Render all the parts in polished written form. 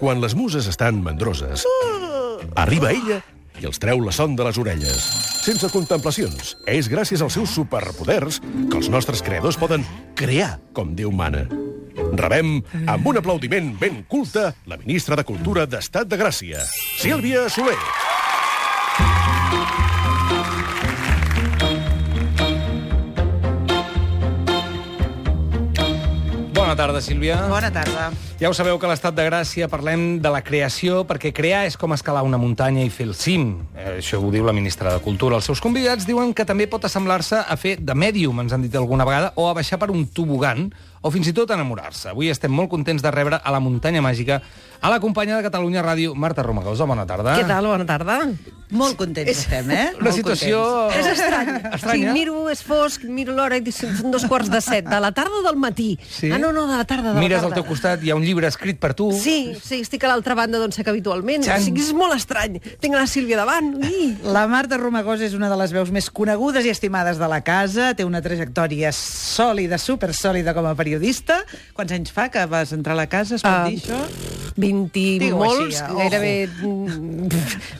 Quan les muses estan mandroses, arriba ella i els treu la son de les orelles. Sense contemplacions. És gràcies als seus superpoders que els nostres creadors poden crear com Déu mana. Rebem, amb un aplaudiment ben culte, la ministra de Cultura d'Estat de Gràcia, Sílvia Soler. Bona tarda, Sílvia. Bona tarda. Ja ho sabeu que a l'Estat de Gràcia parlem de la creació, perquè crear és com escalar una muntanya i fer el cim. Això ho diu la ministra de Cultura. Els seus convidats diuen que també pot assemblar-se a fer de mèdium, ens han dit alguna vegada, o a baixar per un tobogan, o fins i tot enamorar-se. Avui estem molt contents de rebre a la muntanya màgica a la companya de Catalunya Ràdio, Marta Romagosa. Bona tarda. Què tal? Bona tarda. Molt contents estem, Una situació... És estrany. Estranya. Si miro, és fosc, miro l'hora i dic, són 2:45, de la tarda o del matí? Sí? Ah, no, de la tarda, de la Mires tarda. al teu costat, hi ha un llibre escrit per tu. Sí, estic a l'altra banda d'on sec habitualment. Xan. O sigui, és molt estrany. Tinc la Sílvia davant. La Marta Romagosa és una de les veus més conegudes i estimades de la casa. Té una trajectòria sòlida, supersòlida com a periodista. Quants anys fa que vas entrar a la casa, es pot dir això? 20 i Digue-ho molts, així, gairebé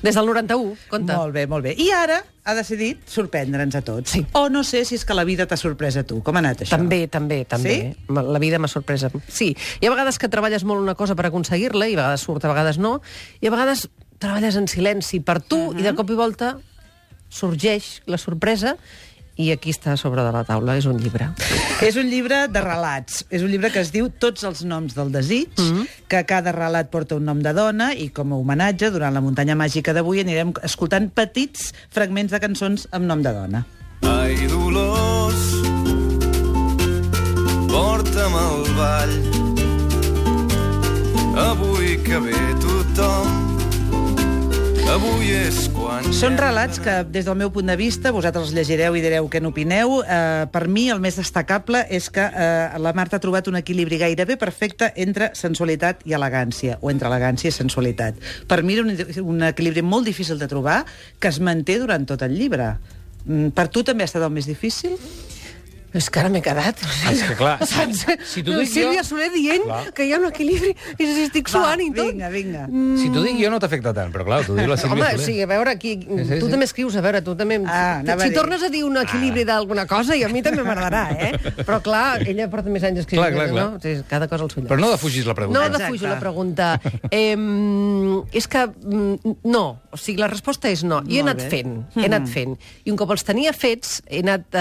des del 91, compte. Molt bé, molt bé. I ara ha decidit sorprendre'ns a tots. Sí. O no sé si és que la vida t'ha sorprès a tu. Com ha anat això? També. Sí? La vida m'ha sorpresa. Sí, hi ha vegades que treballes molt una cosa per aconseguir-la, i a vegades surt, a vegades no, i a vegades treballes en silenci per tu, i de cop i volta sorgeix la sorpresa, i aquí està a sobre de la taula, és un llibre. És un llibre de relats. És un llibre que es diu Tots els noms del desig, que cada relat porta un nom de dona, i com a homenatge, durant la muntanya màgica d'avui anirem escoltant petits fragments de cançons amb nom de dona. Ai, Dolors, porta'm al ball. Avui que ve tothom, avui és quan... Són relats que, des del meu punt de vista, vosaltres els llegireu i direu què n'opineu. Per mi, el més destacable és que la Marta ha trobat un equilibri gairebé perfecte entre sensualitat i elegància, o entre elegància i sensualitat. Per mi era un equilibri molt difícil de trobar, que es manté durant tot el llibre. Per tu també ha estat el més difícil? És que ara m'he quedat. És que clar, Saps? si t'ho dic jo... Sílvia Soler dient que hi ha un equilibri i estic suant i tot. Vinga. Si t'ho dic jo no t'afecta tant, però clar, t'ho diu la Sílvia Home, Soler. sí, a veure, aquí, Sí. tu també escrius, a veure, tu també... anava a si dir. tornes a dir un equilibri d'alguna cosa, i a mi també m'agradarà, Però clar, ella porta més anys escrivint, Clar. no? Sí, cada cosa al seu lloc. Però no defugis la pregunta. No defujo la pregunta. És que no. O sigui, la resposta és no. I he anat fent. I un cop els tenia fets, he anat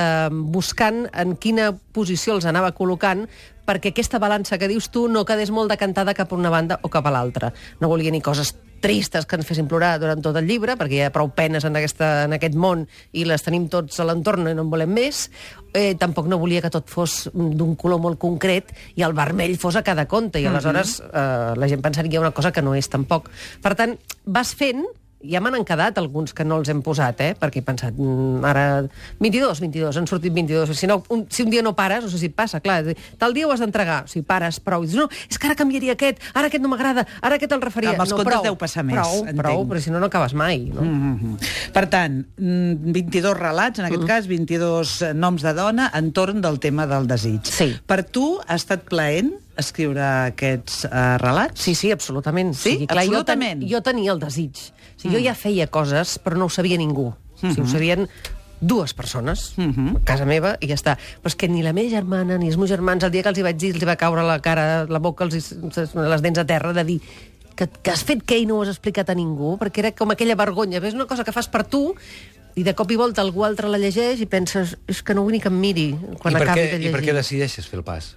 buscant en quina posició els anava col·locant perquè aquesta balança que dius tu no quedés molt decantada cap a una banda o cap a l'altra. No volia ni coses tristes que ens fessin plorar durant tot el llibre, perquè hi ha prou penes en aquest món i les tenim tots a l'entorn i no en volem més. Tampoc no volia que tot fos d'un color molt concret i el vermell fos a cada conte, i aleshores la gent pensaria una cosa que no és tampoc. Per tant, vas fent. Ja me n'han quedat alguns que no els hem posat, perquè he pensat, ara... 22, han sortit 22. Si un dia no pares, no sé si et passa, clar, tal dia ho has d'entregar, si pares prou, i dius, no, és que ara canviaria aquest no m'agrada, ara aquest el refaria. Amb els contes deu passar més, Prou, però si no acabes mai, no? Per tant, 22 relats, en aquest cas, 22 noms de dona entorn del tema del desig. Sí. Per tu ha estat plaent escriure aquests relats? Sí, absolutament. Sí? O sigui, clar, Absolutament? Jo tenia el desig. O sigui, jo ja feia coses, però no ho sabia ningú. O sigui, ho sabien dues persones, a casa meva, i ja està. Però és que ni la meva germana, ni els meus germans, el dia que els hi vaig dir, els hi va caure la cara, la boca, les dents a terra, de dir que has fet què i no ho has explicat a ningú, perquè era com aquella vergonya. És una cosa que fas per tu, i de cop i volta algú altre la llegeix i penses, és que no vull ni que em miri quan acabi de llegir. I per què decideixes fer el pas?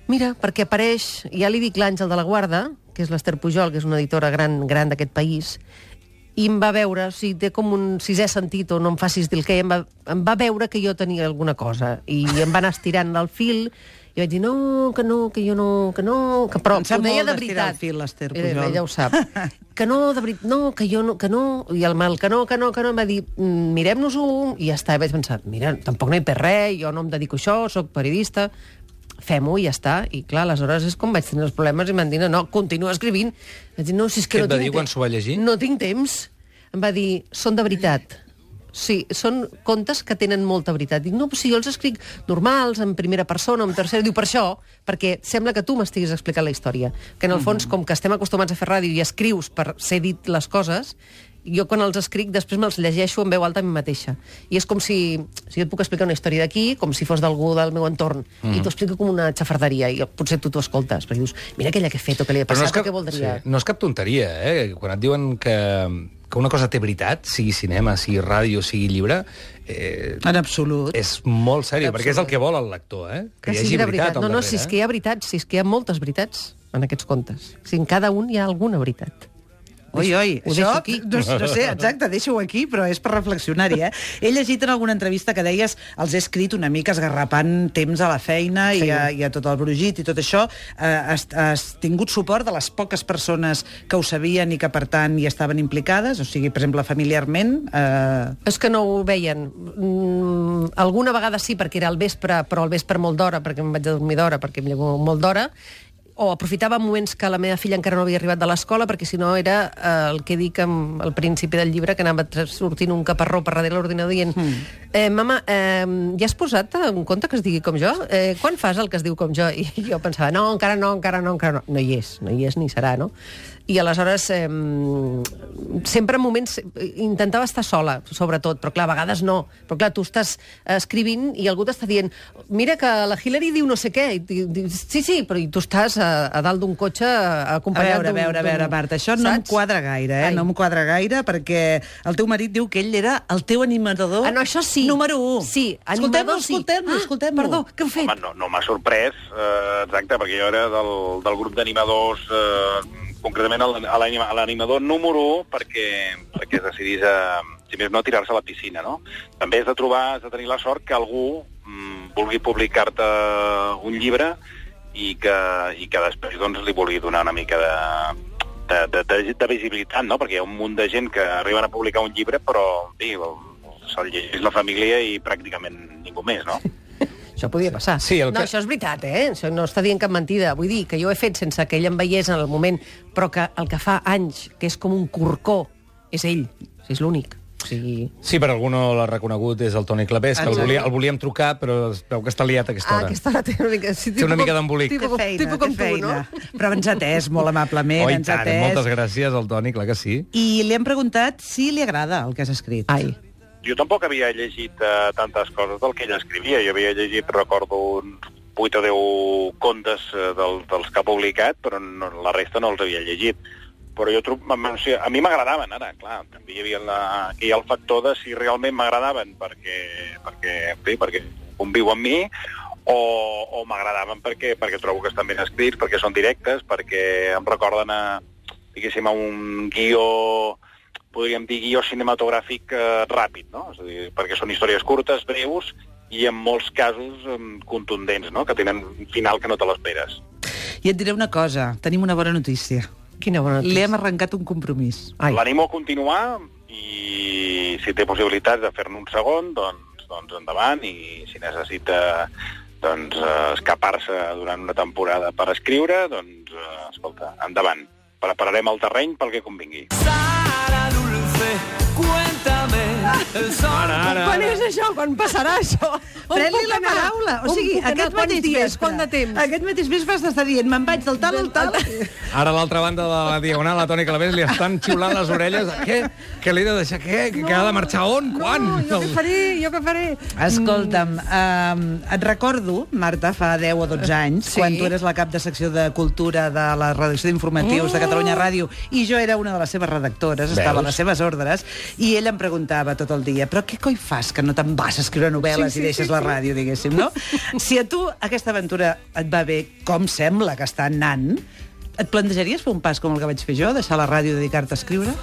Mira, perquè apareix, ja li dic l'Àngel de la Guarda, que és l'Ester Pujol, que és una editora gran d'aquest país, i em va veure, o sigui, té com un sisè sentit, o no em facis dir el què, em va veure que jo tenia alguna cosa, i em va anar estirant el fil, i vaig dir, que però ho deia de veritat. El fil, l'Ester Pujol. Ella ho sap. Que no, de veritat, que no, i el mal que no, em va dir, mirem-nos-ho, i ja està, i vaig pensar, mira, tampoc no hi perd res, jo no em dedico a això, soc periodista, fem-ho i ja està. I clar, aleshores és com vaig tenir els problemes i m'han dit, no, continua escrivint. Vaig dir, no, si és que Què no et va tinc dir quan s'ho va llegir? No tinc temps. Em va dir, són de veritat. Sí, són contes que tenen molta veritat. Dic, no, si jo els escric normals, en primera persona, en tercera, diu per això, perquè sembla que tu m'estiguis explicant la història. Que en el fons, com que estem acostumats a fer ràdio i escrius per ser dit les coses, jo quan els escric després me'ls llegeixo en veu alta a mi mateixa. I és com si jo et puc explicar una història d'aquí, com si fos d'algú del meu entorn, i t'ho explico com una xafarderia, i potser tu t'ho escoltes, perquè dius, mira aquella que he fet o que li ha passat, o què voldria... Sí, no és cap tonteria, Quan et diuen que una cosa té veritat, sigui cinema, sigui ràdio, sigui llibre... En absolut. És molt seriós, perquè és el que vol el lector, que hi hagi veritat al darrere. No, si és que hi ha veritats, si és que hi ha moltes veritats en aquests contes. Si en cada un hi ha alguna veritat. Oi, Ho deixo aquí. No sé, exacte, deixo-ho aquí, però és per reflexionar-hi, He llegit en alguna entrevista que deies els he escrit una mica esgarrapant temps a la feina i a tot el brugit i tot això. Has tingut suport de les poques persones que ho sabien i que, per tant, hi estaven implicades? O sigui, per exemple, familiarment... És que no ho veien. Alguna vegada sí, perquè era al vespre, però al vespre molt d'hora, perquè em vaig a dormir d'hora, perquè em llevo molt d'hora, o aprofitava moments que la meva filla encara no havia arribat de l'escola, perquè si no era el que dic al principi del llibre, que anava sortint un caparró per darrere l'ordinador dient mama, ja has posat un conte que es digui com jo? Quan fas el que es diu com jo? I jo pensava, no, encara no. No hi és ni serà, no? I aleshores sempre en moments intentava estar sola, sobretot, però clar, a vegades no. Però clar, tu estàs escrivint i algú t'està dient, mira que la Hillary diu no sé què. I dius, sí, però tu estàs a dalt d'un cotxe acompanyat A veure, Marta, això no em quadra gaire, No em quadra gaire, perquè el teu marit diu que ell era el teu animador això sí. número 1. Sí, animador sí. Escoltem-lo. Perdó, què heu fet? Home, no m'ha sorprès, exacte, perquè jo era del grup d'animadors... concretament a l'animador número 1 perquè es decidís si més no, a tirar-se a la piscina, no? També has de tenir la sort que algú vulgui publicar-te un llibre i que després doncs, li vulgui donar una mica de visibilitat, no? Perquè hi ha un munt de gent que arriben a publicar un llibre però se'l llegeix la família i pràcticament ningú més, no? Això podia passar. Sí, No, això és veritat, Això no està dient cap mentida. Vull dir que jo he fet sense que ell em veiés en el moment, però que el que fa anys, que és com un corcó, és ell. És l'únic. O sigui... Sí, per algú no l'ha reconegut, és el Toni Clapés, que el volíem trucar, però es veu que està liat a aquesta hora. Aquesta hora té una mica... Sí, té una mica d'embolic. Tipus com tu, no? Però ens ha atès molt amablement. Oh, i tant, moltes gràcies al Toni, clar que sí. I li hem preguntat si li agrada el que has escrit. Ai. Jo tampoc havia llegit tantes coses del que ell escrivia. Jo havia llegit, recordo, uns 8 o 10 contes dels que ha publicat, però la resta no els havia llegit. Però a mi m'agradaven, ara, clar. També hi havia el factor de si realment m'agradaven perquè conviu amb mi, o m'agradaven perquè trobo que estan ben escrits, perquè són directes, perquè em recorden a un guió... podríem dir guió cinematogràfic ràpid, no? És a dir, perquè són històries curtes, breus, i en molts casos contundents, no? Que tenen un final que no te l'esperes. I et diré una cosa, tenim una bona notícia. Quina bona notícia. Li hem arrencat un compromís. L'animo a continuar i si té possibilitats de fer-ne un segon, doncs endavant, i si necessita escapar-se durant una temporada per escriure, doncs, escolta, endavant. Prepararem el terreny pel que convingui. Quan és això? Quan passarà això? Pren-li la paraula. O sigui, aquest mateix mes vas estar dient, me'n vaig del tal al tal. Ara a l'altra banda de la diagonal, a Toni Clapés li estan xiulant les orelles. Què l'he de deixar? Què? Que ha de marxar on? Quan? Jo què faré? Escolta'm, et recordo, Marta, fa 10 o 12 anys, quan tu eres la cap de secció de cultura de la redacció d'informatius de Catalunya Ràdio, i jo era una de les seves redactores, estava a les seves ordres, i ell em preguntava tot el dia, però què coi fas que no te'n vas a escriure novel·les i deixes la ràdio, diguéssim, no? Si a tu aquesta aventura et va bé, com sembla que està anant, et plantejaries fer un pas com el que vaig fer jo, deixar la ràdio i dedicar-te a escriure?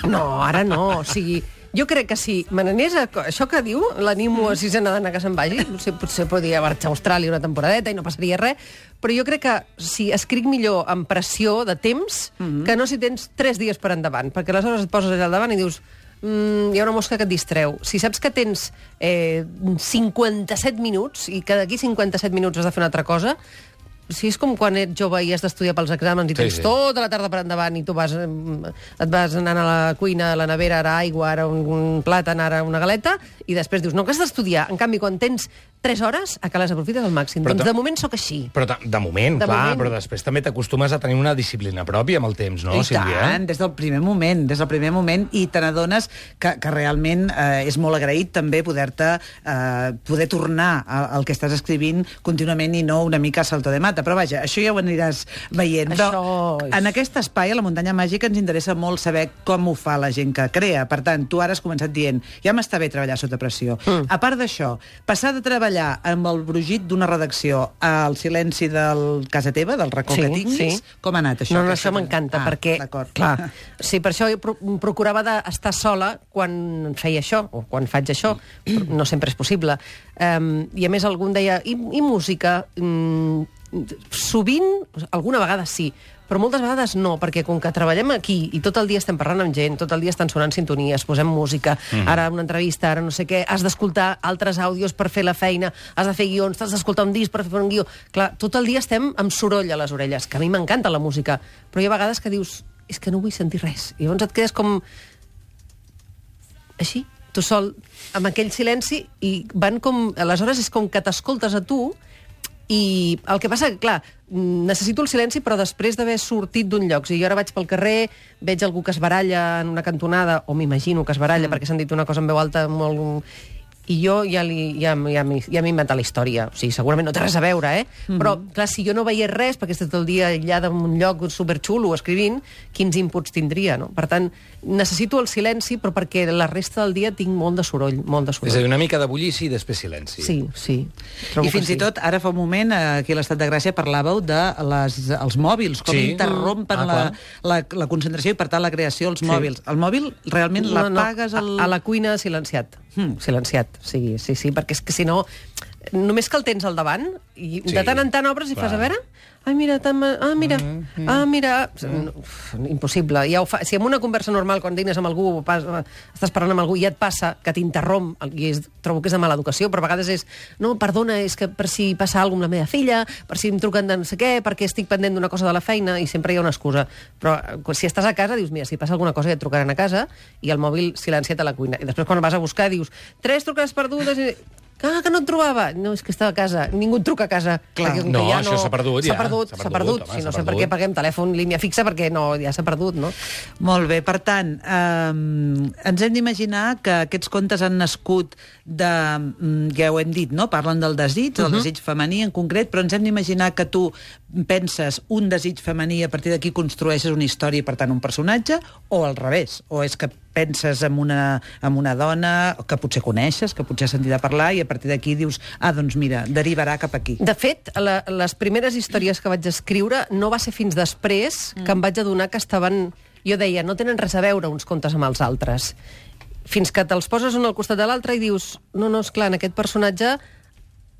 No, ara no. O sigui, jo crec que si me n'anés a... Això que diu, l'animo a sisena d'anar que se'n vagi, potser podria marxar a Austràlia una temporadeta i no passaria res, però jo crec que si escric millor amb pressió de temps, que no si tens 3 dies per endavant, perquè aleshores et poses allà al davant i dius hi ha una mosca que et distreu. Si saps que tens 57 minuts i que d'aquí 57 minuts has de fer una altra cosa, si és com quan ets jove i has d'estudiar pels exàmens i tens tota la tarda per endavant i tu et vas anant a la cuina, a la nevera, ara aigua, ara un plàtan, ara una galeta, i després dius, no, que has d'estudiar. En canvi, quan tens 3 hores, a que les aprofites al màxim. Doncs de moment sóc així. Però de moment, clar, però després també t'acostumes a tenir una disciplina pròpia amb el temps, no, Sílvia? I tant, des del primer moment, i te n'adones que realment és molt agraït també poder tornar al que estàs escrivint contínuament i no una mica a salto de mata. Però vaja, això ja ho aniràs veient. En aquest espai, a la Muntanya Màgica, ens interessa molt saber com ho fa la gent que crea. Per tant, tu ara has començat dient, ja m'està bé treballar sota pressió. A part d'això, passar de treballar amb el brugit d'una redacció al silenci del casa teva, del racó que tinguis, com ha anat això? No, això m'encanta, perquè, clar, sí, per això procurava d'estar sola quan feia això, o quan faig això, no sempre és possible. I a més algú em deia, i música? Sovint, alguna vegada sí, però moltes vegades no, perquè com que treballem aquí i tot el dia estem parlant amb gent, tot el dia estan sonant sintonies, posem música, ara una entrevista, ara no sé què, has d'escoltar altres àudios per fer la feina, has de fer guions, has d'escoltar un disc per fer un guió. Clar, tot el dia estem amb soroll a les orelles, que a mi m'encanta la música, però hi ha vegades que dius, és que no vull sentir res. I llavors et quedes com així, tu sol, amb aquell silenci, i van com... Aleshores és com que t'escoltes a tu. I el que passa, clar, necessito el silenci, però després d'haver sortit d'un lloc. Si jo ara vaig pel carrer, veig algú que es baralla en una cantonada, o m'imagino que es baralla perquè s'han dit una cosa en veu alta molt... I jo ja m'he inventat la història. O sigui, segurament no té res a veure, Però, clar, si jo no veiés res, perquè estic tot el dia aïllada en un lloc superxulo escrivint, quins inputs tindria, no? Per tant, necessito el silenci, però perquè la resta del dia tinc molt de soroll, molt de soroll. És a dir, una mica de bullici i després silenci. Sí. I fins i tot, ara fa un moment, aquí a l'Estat de Gràcia, parlàveu dels mòbils, com interrompen la concentració i, per tant, la creació dels mòbils. El mòbil realment l'apagues... A la cuina silenciat. Silenciat, sí, perquè és que si no, només que el tens al davant i de tant en tant obres i fas a veure... mira... Impossible. Si en una conversa normal, quan dines amb algú, estàs parlant amb algú i et passa que t'interromp, i trobo que és de mala educació, però a vegades és, no, perdona, és que per si passa alguna amb la meva filla, per si em truquen de no sé què, perquè estic pendent d'una cosa de la feina, i sempre hi ha una excusa. Però si estàs a casa, dius, mira, si passa alguna cosa ja et trucaran a casa, i el mòbil silenciat a la cuina. I després quan vas a buscar dius, 3 trucades perdudes... que no et trobava. No, és que estava a casa. Ningú et truca a casa. Clar. No, això s'ha perdut, ja. S'ha perdut. Si no sé per què paguem telèfon, línia fixa, perquè no, ja s'ha perdut, no? Molt bé. Per tant, ens hem d'imaginar que aquests contes han nascut de... Ja ho hem dit, no? Parlen del desig, del desig femení en concret, però ens hem d'imaginar que tu penses un desig femení i a partir d'aquí construeixes una història i, per tant, un personatge, o al revés. O és que penses en una dona que potser coneixes, que potser has sentit a parlar, i a partir d'aquí dius, doncs mira, derivarà cap aquí. De fet, les primeres històries que vaig escriure no va ser fins després que em vaig adonar que estaven... Jo deia, no tenen res a veure uns contes amb els altres. Fins que te'ls poses un al costat de l'altre i dius, no, esclar, en aquest personatge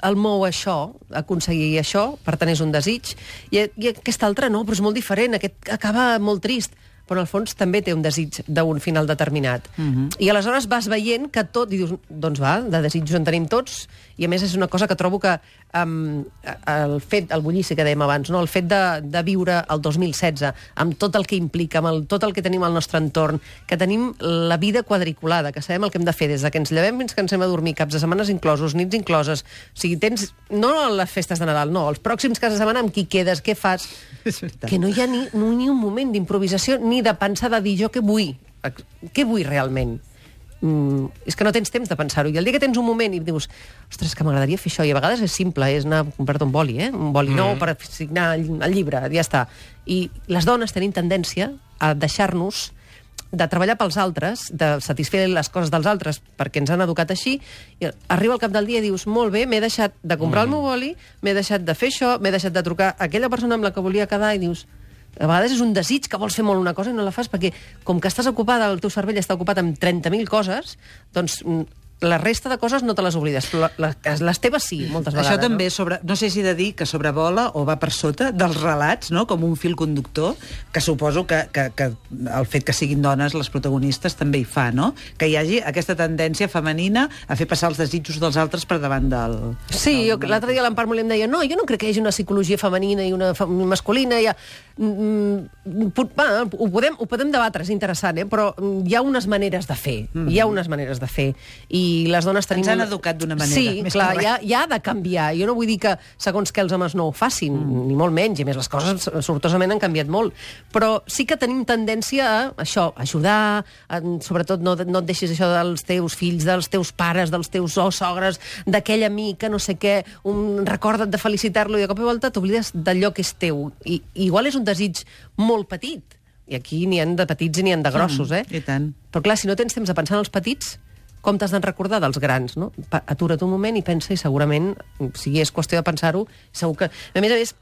el mou això, aconseguir això, per tant és un desig, i aquest altre no, però és molt diferent, aquest acaba molt trist, però en el fons també té un desig d'un final determinat. I aleshores vas veient que tot, i dius, doncs va, de desitjos en tenim tots, i a més és una cosa que trobo que el bullici que dèiem abans, no? El fet de viure el 2016, amb tot el que implica, amb tot el que tenim al nostre entorn, que tenim la vida quadriculada, que sabem el que hem de fer des que ens llevem fins que ens hem a dormir, caps de setmanes inclosos, nits incloses, o sigui, tens, no les festes de Nadal, no, els pròxims caps de setmana amb qui quedes, què fas, que no hi ha ni un moment d'improvisació, ni de pensar, de dir jo què vull realment. És que no tens temps de pensar-ho. I el dia que tens un moment i dius, ostres, que m'agradaria fer això, i a vegades és simple, és anar a comprar-te un boli, un boli nou per signar el llibre, ja està. I les dones tenim tendència a deixar-nos de treballar pels altres, de satisfer les coses dels altres, perquè ens han educat així, i arriba al cap del dia i dius, molt bé, m'he deixat de comprar el meu boli, m'he deixat de fer això, m'he deixat de trucar a aquella persona amb la que volia quedar, i dius, a vegades és un desig que vols fer molt una cosa i no la fas perquè, com que estàs ocupada, el teu cervell està ocupat amb 30.000 coses, doncs la resta de coses no te les oblides, però les teves sí, moltes vegades. Això també, no sé si he de dir que sobrevola o va per sota dels relats, no? Com un fil conductor, que suposo que el fet que siguin dones les protagonistes també hi fa, no? Que hi hagi aquesta tendència femenina a fer passar els desitjos dels altres per davant del... Sí, l'altre dia l'Empar Molí em deia no, jo no crec que hi hagi una psicologia femenina i una masculina, ho podem debatre, és interessant, però hi ha unes maneres de fer, i les dones tenim... Ens han educat d'una manera. Sí, clar, ja ha de canviar. Jo no vull dir que segons que els homes no ho facin, ni molt menys, i més les coses sortosament han canviat molt, però sí que tenim tendència a això, ajudar, sobretot no et deixis això dels teus fills, dels teus pares, dels teus sogres, d'aquell amic que no sé què, recorda't de felicitar-lo i de cop i volta t'oblides d'allò que és teu. I igual és un desig molt petit, i aquí n'hi ha de petits i n'hi ha de grossos, I tant. Però clar, si no tens temps de pensar en els petits, com t'has de recordar dels grans, no? Atura't un moment i pensa, i segurament, si és qüestió de pensar-ho, segur que... A més,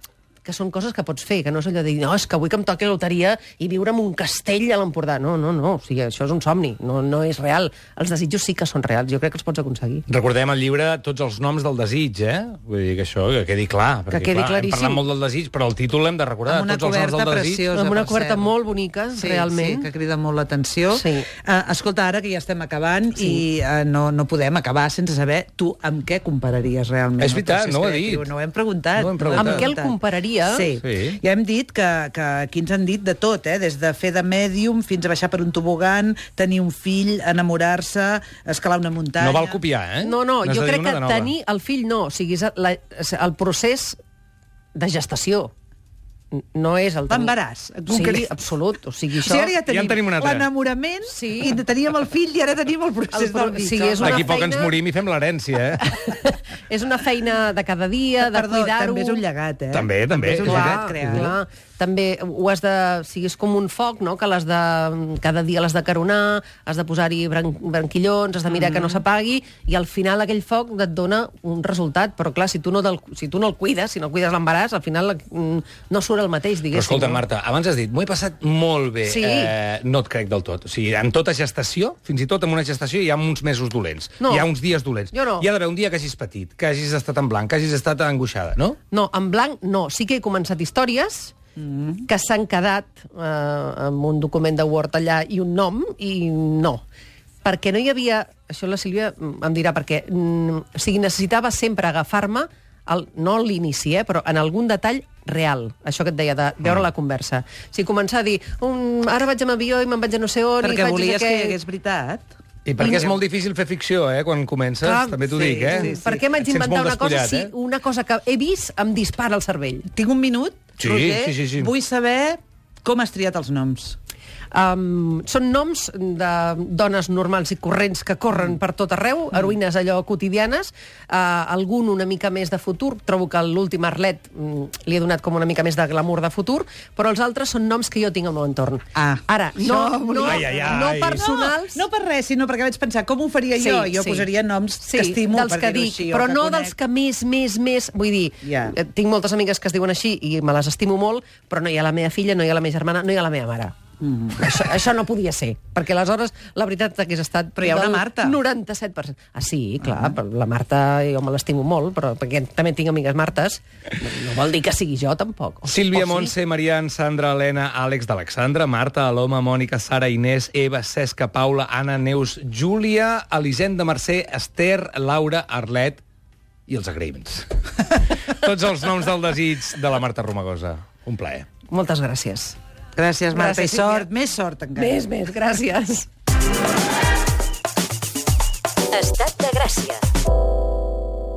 que són coses que pots fer, que no és allò de dir, no, és que vull que em toqui la loteria i viure en un castell a l'Empordà. No, o sigui, això és un somni, no és real. Els desitjos sí que són reals, jo crec que els pots aconseguir. Recordem al llibre tots els noms del desig, Vull dir que això, que quedi clar. Perquè, que quedi claríssim. Hem parlat molt del desig, però el títol l'hem de recordar. Amb una tots els noms del desig. preciosa, amb una coberta molt bonica, realment. Sí, que crida molt l'atenció. Sí. Escolta, ara que ja estem acabant i no podem acabar sense saber tu amb què compararies realment. És veritat, no ho he dit. No ho hem preguntat. Amb què el compararia? Sí. Ja hem dit que aquí ens han dit de tot, des de fer de mèdium fins a baixar per un tobogan, tenir un fill, enamorar-se, escalar una muntanya... No val copiar, No, jo crec que tenir el fill no, o sigui, el procés de gestació. No és el... L'embaràs. Sí, absolut. O sigui, això... O sigui, ara ja en tenim un altre. L'enamorament, i teníem el fill i ara tenim el procés del mig. Sí, D'aquí poc ens morim i fem l'herència, És una feina de cada dia, de cuidar-ho... També és un llegat, També. És un llegat creat. Clar. També ho has de... O sigui, és com un foc, no?, que cada dia l'has de caronar, has de posar-hi branquillons, has de mirar que no s'apagui, i al final aquell foc et dona un resultat. Però clar, si tu no el cuides, si no cuides l'embaràs, al final no surt el mateix, diguéssim. Però escolta, Marta, abans has dit, m'ho he passat molt bé. Sí. No et crec del tot. O sigui, en tota gestació, fins i tot en una gestació, hi ha uns mesos dolents. No. Hi ha uns dies dolents. Jo no. Hi ha d'haver un dia que hagis patit, que hagis estat en blanc, que hagis estat angoixada, no? No, en blanc no. Sí que he començat històries que s'han quedat amb un document de Word allà i un nom, i no. Perquè no hi havia... Això la Sílvia em dirà perquè... O sigui, necessitava sempre agafar-me, no a l'inici, però en algun detall real, això que et deia, de veure la conversa. O sigui, començar a dir, ara vaig amb avió i me'n vaig a no sé on... Perquè volies que hi hagués veritat... I perquè és molt difícil fer ficció, quan comences, també t'ho dic, Sí. Per què m'haig d'inventar una cosa si una cosa que he vist em dispara el cervell? Tinc un minut, Roger? Sí. Vull saber com has triat els noms. Són noms de dones normals i corrents que corren per tot arreu, heroïnes allò quotidianes, algun una mica més de futur, trobo que l'últim Arlet li he donat com una mica més de glamour de futur, però els altres són noms que jo tinc al meu entorn. Ara, no personals... No per res, sinó perquè vaig pensar com ho faria jo. Jo posaria noms que estimo, dels que dic, però no dels que més... Vull dir, tinc moltes amigues que es diuen així i me les estimo molt, però no hi ha la meva filla, no hi ha la meva germana, no hi ha la meva mare. Això no podia ser, perquè aleshores la veritat hagués estat... Però hi ha una Marta. 97%. Sí, clar, la Marta jo me l'estimo molt, però perquè també tinc amigues Martes, no vol dir que sigui jo, tampoc. Sílvia, Montse, Marian, Sandra, Helena, Àlex d'Alexandra, Marta, Aloma, Mònica, Sara, Inés, Eva, Cesca, Paula, Anna, Neus, Júlia, Elisenda, Mercè, Esther, Laura, Arlet i els agraïments. Tots els noms del desig de la Marta Romagosa. Un plaer. Moltes gràcies. Gràcies, Marta, gràcies, i sort, més sort encara. Més, gràcies. Estat de Gràcia.